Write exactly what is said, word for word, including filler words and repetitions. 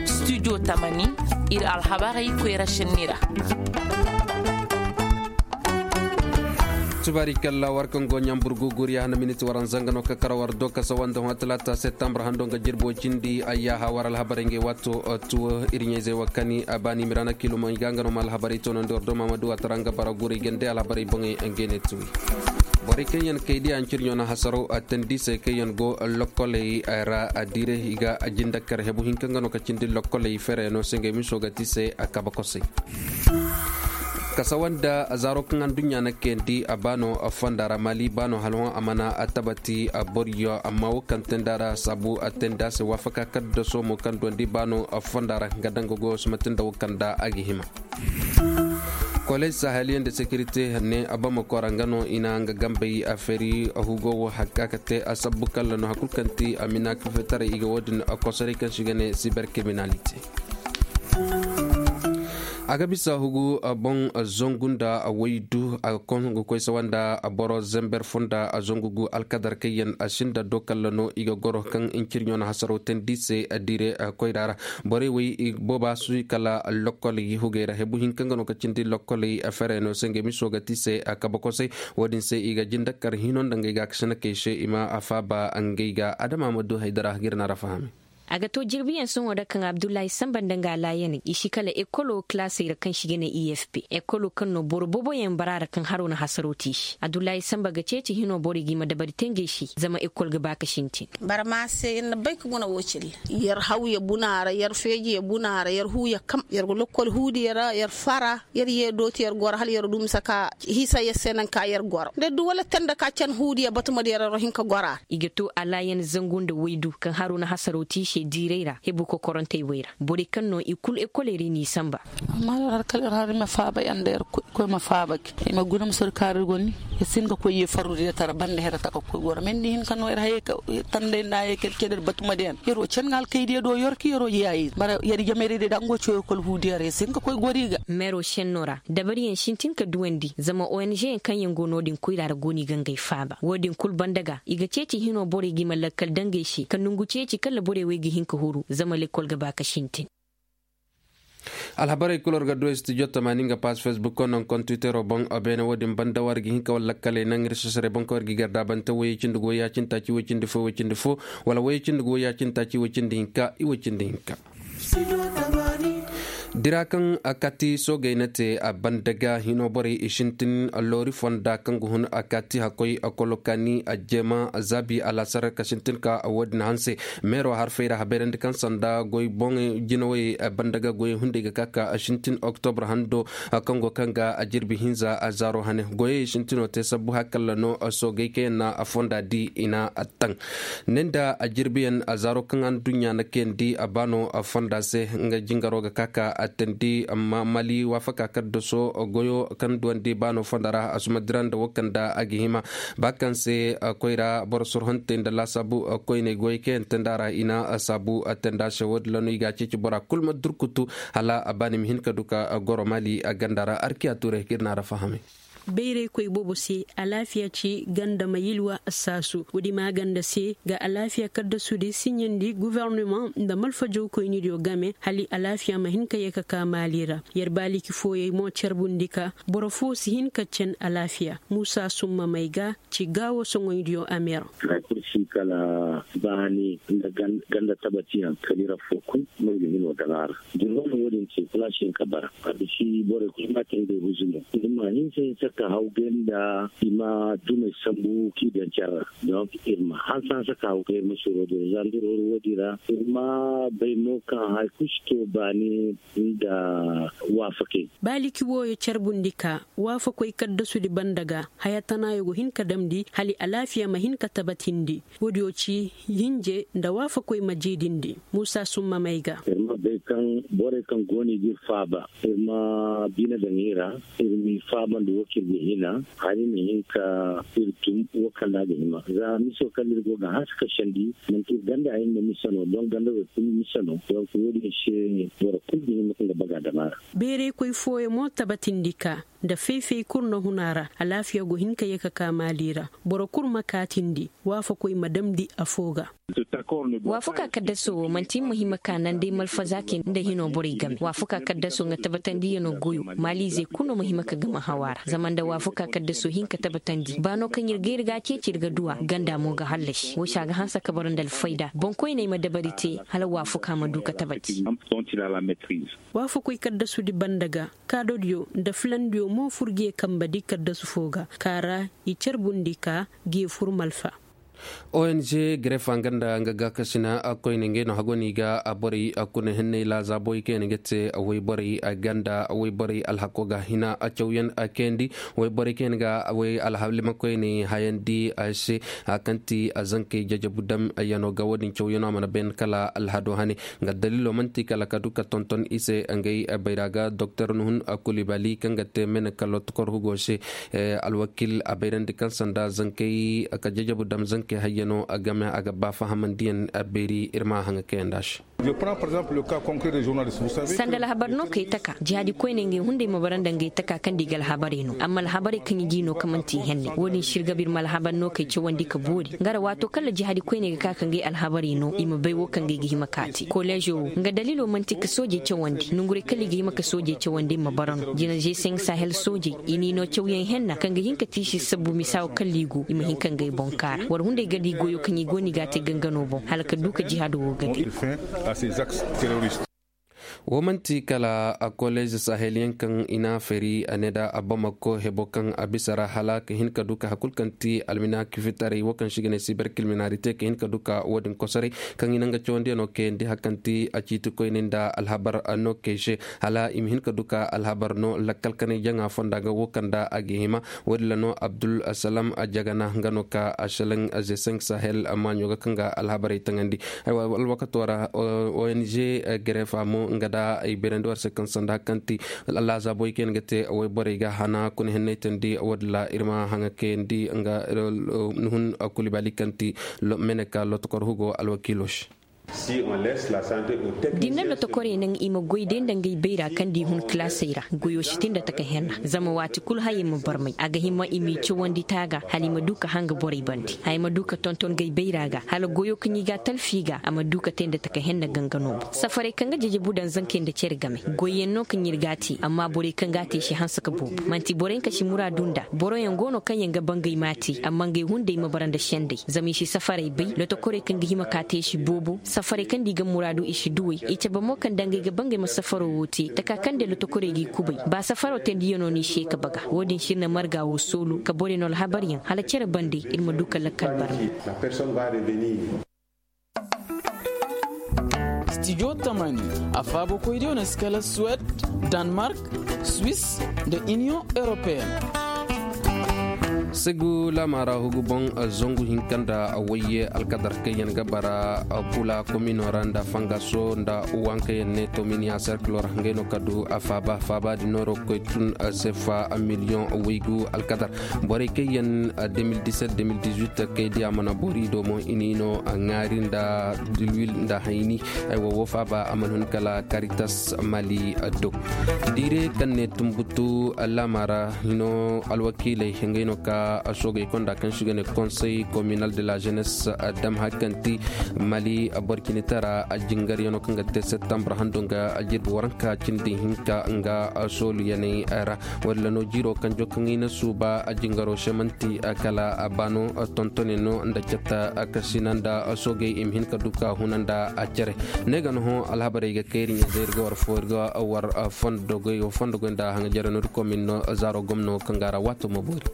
Studio tamani, ir alhabarey koyra šenni ra. Tubaari kalla war kaŋ go ɲambur guguriya hana miniti waranza nga no ka kara war do kasa wanda hõ talaata septembre hando nga jirbi way cindi ayyaha war alhabarey ngey waato. Tuwo ir ɲayzey wa kani a baani mirana kilomey ga nga no ma alhabarey toonandi war do mamadu watara nga bara guray gande alhabarey boŋey ngey ne tuwi. Borey kaŋ yaŋ kay diya ncirɲo na hasaro a tandi se kaŋ yaŋ go lokkoley ra a diire i ga a jindakar hebu hinka nga no ka cindi lokkoley fereno se ngey miso ga ti se a kaba kosey. Kasawa nda zaaro kaŋ adduɲɲa na kayandi a baano fonda ra mali baano halhõ a mana a tabati a boriyo amma wo kaŋ tenda ra saabu a tenda se waafaka kaddaso mo kaŋ duwandi baano fonda ra nga danga goyo si mate nda wo kaŋ da a ga hima. Kolej sahaliya nda sekirite ne a bamako ra nga no i na nga gambey a feeri hugo wo hakka ka te a sabbu kalla no hakul kaŋ ti a mina kafetaray i ga wo-din a kosoray kaŋ si ga ne siberkriminalite. A ga bisa hugu boŋ zangu nda waydu a ga koy sawa nda boro zember fo nda zangu gu alkadar kaŋ yaŋ a sinda do kalla no i ga goro kaŋ ncirɲo na hasaro tandi se dire koyra ra. Borey wey booba su kala lokkol hugey ra hebu hinka nga no ka cindi lokkoley fereno se ngey miso ga ti se kabakosey. Wo-din se i ga jindakar hino nda ngey ga kasina kay se i ma a faaba ngey ga adama ma du haydara ga ir na ra fahami. A ga to jirbiyaŋ sohõ da kaŋ abdullahi samba nda nga alaayaney i si kala ekolo kilaasey ra kaŋ si ga ne i f p ekolo kaŋ no boro boboyaŋ bara ra kaŋ haro na hasaro te i se abdullahi samba ga ceeci hino borey ga i ma dabari te ngey se zama ekol ga ba ka sintin. Barma se ir na bay ka guna wo cilla. Yer hawya buna ra yer feejiya buna ra yer huuya kam yer ga lokkol huudiya ra yer fara. Yer ye dooti yer goro hala yer du misa ka hisa yer se naŋ ka yer goro nda du wala tanda ka can huudiya batumadiya ra yer hin ka goro a ra. I ga to alaayan zangu nda waydu kaŋ haro na hasaro te i se diiray ra hebu kokorantey wey ra borey kaŋ no i kulu ekoley ra i n'i samba. Amma yer har kala yer har i ma faaba yaŋ nda yer koy ma faaba ga i ma guna ma sori kaari goni. Yer si hin ka koy ye farru diya tara banda here taka koy goro me ni di hin ka no yer hayey ka tanday nda hayey kala ceder batumadiya yaŋ yer wo can ŋa alkaydiya do yer ka yer wo yaayi bara yer jamayray diya da nga wo cawey kol huudiya ra yer si hin ka koy gori ga. Meero senno ra dabariyaŋ sintin ka duwandi zama ong yaŋ kaŋ yaŋ go no- din koyra ra go no i ga ngey faaba wo- din kulu banda ga i ga ceeci hino borey ga i ma lakkal dangey se ka nongu ceeci kala borey wey ga hin ka huru zama lekkol ga ba ka sintin. Alhabarey kulu war ga du studio tamaani nga paas facebook ko naŋ kontwitero boŋ. Beene wo- din banda war ga hin ka war lakkaley naŋ ir sosarey boŋ ka war ga i gardaabante woyey cindi go ya cindi taaci woy cindi fo woy cindi fo wala woyey cindi go ya cindi taaci woy cindi hinka i woy cindi hinka. Dira kaŋ a kati soogey na te a banda ga hino borey i sintin loori fonda kaŋ ga hun a kati hakkoy a kolo kaani a jeema zaabi alaasar ka sintin ka wo- din hanse. Meero harfey ra habayrandi kaŋ sanda goy boŋey jinawey banda ga goyey hunday ga ka ka sintin oktobra hando kaŋ go kaŋ ga a jirbi hinza a zaaro hane goyey sintino te sabbu hakalla no soogey kaŋ yaŋ na a fonda di i na a taŋ. Ne nda a jirbiyaŋ a zaaro kaŋ adduɲɲa na kayandi a baano a fonda se nga jingaro ga ka ka a tandi amma mali waafaka kaddaso goyo kaŋ duwandi baano fonda ra a suma dira nda wo kaŋ da a ga hima. Ba kaŋ se koyra boro sorhontey nda laasaabu koyney goyey kaŋ yaŋ tandi a ra i na saabu tandi a se wo- din ra no i ga a ceeci bora kulu ma durkutu hala a baani ma hin ka du ka goro mali a ganda ra arkiya tuuray kaŋ ir na a ra fahamay. Bayraykoy boobo se alaafiya ci ganda ma yilwa assaasu woodi maaganda se ga alaafiya kaddasudi siɲandi gofornama nda malfajawkoynidiyo game hala alaafiya ma hin ka ye ka ka maali ra. Yer baaliki fooyey mo carbundi ka boro foo si hin ka cen alaafiya muusa summa may ga ci gaawo soŋoydiyo ameer. Hay kulu si kala baani nda ganda tabatiyaŋ kala ira foo kul no i ga hino daŋ a ra. Jirgo no wo-din te kula si hin ka bara a ga si borey kulu ma te ngey huzumo i ma hinsa hinsa ka haw gay nda i ma dumey sambu k'i daŋ care ra. Donk ir ma hansa hansa ka haw gay ir ma suro din ra za nda ir huru wo-din ra ir ma bay mo kaŋ hari kulu si to baani nda waafakey. Baaliki wooyo carbundi ka waafakoy kaddasudi banda ga haya tanaayo go hin ka damndi hala alaafiya ma hin ka tabatindi. Woodiyo ci hinje nda waafakoy ma jiidindi muusa summa may ga. Borey kaŋ go no i ga ir faaba, ir ma bine daŋ i ra. Ir m'i faabandi wo kaŋ ir ga hina, hari ma hin ka ir tun wo kaŋ ra a ga hima za miso kaŋ ir go ga hanse ka sendi. Manti ir ganda hayan no mise no donk ganda wo kulu mise no donk wo- din se boro kulu ga hima ka nga baga dam a ra. Beeraykoy fooyaŋ mo tabatindi ka nda fay-fay kulu na hun a ra. Alaafiya go hin ka ye ka ka maali ra. Boro kulu ma kaatindi waafakoy ma damndi afo ga. Waafaka kaddaso wo manti muhimma ka naŋ day malfazaakey nda hino borey game waafaka kaddaso nga tabatandiyano goyo. Maaliizey kulu no muhimma ka game hawa ra zama nda waafaka kaddaso hin ka tabatandi ba no kaŋ ir ga ir ga a ceeci ir ga duw'a ganda mo ga hallasi wo se a ga hanse ka bara nda alfayda boŋkoyney ma dabari te hala waafaka ma du ka tabati. Waafakoy kaddasudi banda ga kaadodiyo nda filandiyo mo fur ge kambadi kaddasu fo ga ka ra i carbundi ka ge fur malfa. Ong gref a nga nda nga gaakasina koyne ngey no hago no i ga borey kuna henney laazaabooy kaŋ yaŋ ga te wayborey ganda wayborey alhako ga hina cawyaŋ kayandi. Wayborey kaŋ yaŋ ga way alhalimakoyney hayandi se kaŋ ti zankey jajabu dam yano ga wo- din cawyaŋo a mana bay kala alhado hane. Nga daliilo man'ti kala ka du ka tonton i se ngey bayra ga doktor nuhun kulibali kaŋ ga te mene ka lotokor hugo se. Alwakil a bayrandi kaŋ sanda zankey ka jajabu dam zankey hayyano game a ga ba fahamandiyaŋ. Beeri ir ma haŋa kayandi a se. Sanda alhabar no kay taka jihaadi koyney ngey hunday ma bara nda ngey taka kaŋ da i ga alhabarey no amma alhabarey kaŋ i g'i no kaŋ man'ti henne wo- din se ir ga ba ir ma alhabar no kay cawandi ka boori nga ra waato kaŋ ra jihaadi koyney ga ka ka ngey alhabarey no i ma bay wo kaŋ ga ay ga hima ka te koleezo wo nga daliilo man'ti ka soojey cawandi nonguray kaŋ ra i ga hima ka soojey cawandi ma bara no jina g cinq sahel soojey i n'i no cawyaŋ henna kaŋ ga hin ka te i se sabbu misa wo kaŋ ra i go i ma hin ka ngey boŋ kaara war hunday ga di goyo kaŋ i go no i ga a te gangano boŋ hala ka du ka jihaado wo ga di. Wo man'ti kala koleez sahel yaŋ kaŋ i n'a feeri a ne nda a bamako hebo kaŋ a bisa ra hala ka hin ka du ka hari kulu kaŋ ti alminaki fitaray wo kaŋ se i ga ne siber kilminarite ka hin ka du ka wo- din kosoray kaŋ i na nga cawandiyaŋo kayandi hari kaŋ ti a ciiti koyne nda alhabar no kay se hala i ma hin ka du ka alhabar no lakkal kanay jaŋa fonda ga wo kaŋ nda a ga hima. Wo- din ra no abdul salam jagana nga no ka a selaŋ g cinq sahel maaɲo ga kaŋ ga alhabarey taŋandi. Alwakato ra ong gref a mo nga nda ay bayrandi war se kaŋ sanda hari kaŋ ti laazaabooy kaŋ yaŋ ga te wayborey ga hana kuna henney teendi wo- din ra ir ma haŋa kayandi nga nuhun kulibali kaŋ ti mene ka lotokor hugo alwakiilo se. Da i na lotokorey naŋ i ma goy day nda ngey bayra kaŋ da i hun kalaasey ra goyo si te nda taka henna zama waati kulu hayey ma barmay a ga hima i m'i cawandi taaga hala i ma du ka hanga borey bande haya ma du ka tonton ngey bayra ga hala goyo kaŋ i ga a talfi ga a ma du ka te nda taka henna ganga no boŋ safarey kaŋ ga jajabu daŋ zankey nda cere game goyyaŋ no kaŋ ir ga a te amma borey kaŋ ga a te i si hanse ka boobo man'ti boroyaŋ kaŋ si muraadu nda boroyaŋ go no kaŋ yaŋ ga ba ngey m'a te amma ngey hunday ma bara nda sendey zama i si safarey bay lotokorey kaŋ ga hima ka te i si boobo safarey kaŋ da i ga muraadu i si duw'ey i cabe mo kaŋ da ngey ga ba ngey ma safaro wo te taka kaŋ day lotokorey g'i kubay ba safaro teendiyaŋo no i se ka baga wo- din se ir na marga wo soolu ka borey no alhabaryaŋ hala cere bande ir ma du ka lakkal barmay. Stijo tamani a faabakoydiyo na si kala suwed, danmark, swis, nda iniyoŋ europeyen. Segu laamaara hugu boŋ zangu hinka nda wayye alkadar kaŋ yaŋ ga bara kula komino ra nda fangaso nda waŋ kaŋ yaŋ ne tominiya serkilo ra ngey no ka du a faaba faaba din nooro ga koy tun sefa miliyoŋ waygu alkadar. Borey kaŋ yaŋ de mil diset de mil dizuit kay di a mana boori do mo i n'i no ŋaari nda dilwil nda hayni. Ay wo wo faaba a mana hun kala karitas mali do. Diire kaŋ ne tumbutu laamaara hino alwakiiley ngey no ka soogey konda kaŋ si ga ne konsey kominal de la jenes dam hari kaŋ ti mali borcinitara jingaryaŋo kaŋ ga te septembre hando nga jirbi waranka cindi hinka nga sooluyaney ra. Walla no jiiro kanjo kaŋ i na suuba a jingaro se manti kala a baano tontone no nda catta kasina nda soogey i ma hin ka du ka huna nda a cere. Ne ga no hõ alhabarey ga kay iri ɲa zay iri ga war fo iri ga war fondo goy nda haŋa jere no iri komin no zaaro gomno kaŋ ga ra waato ma boori.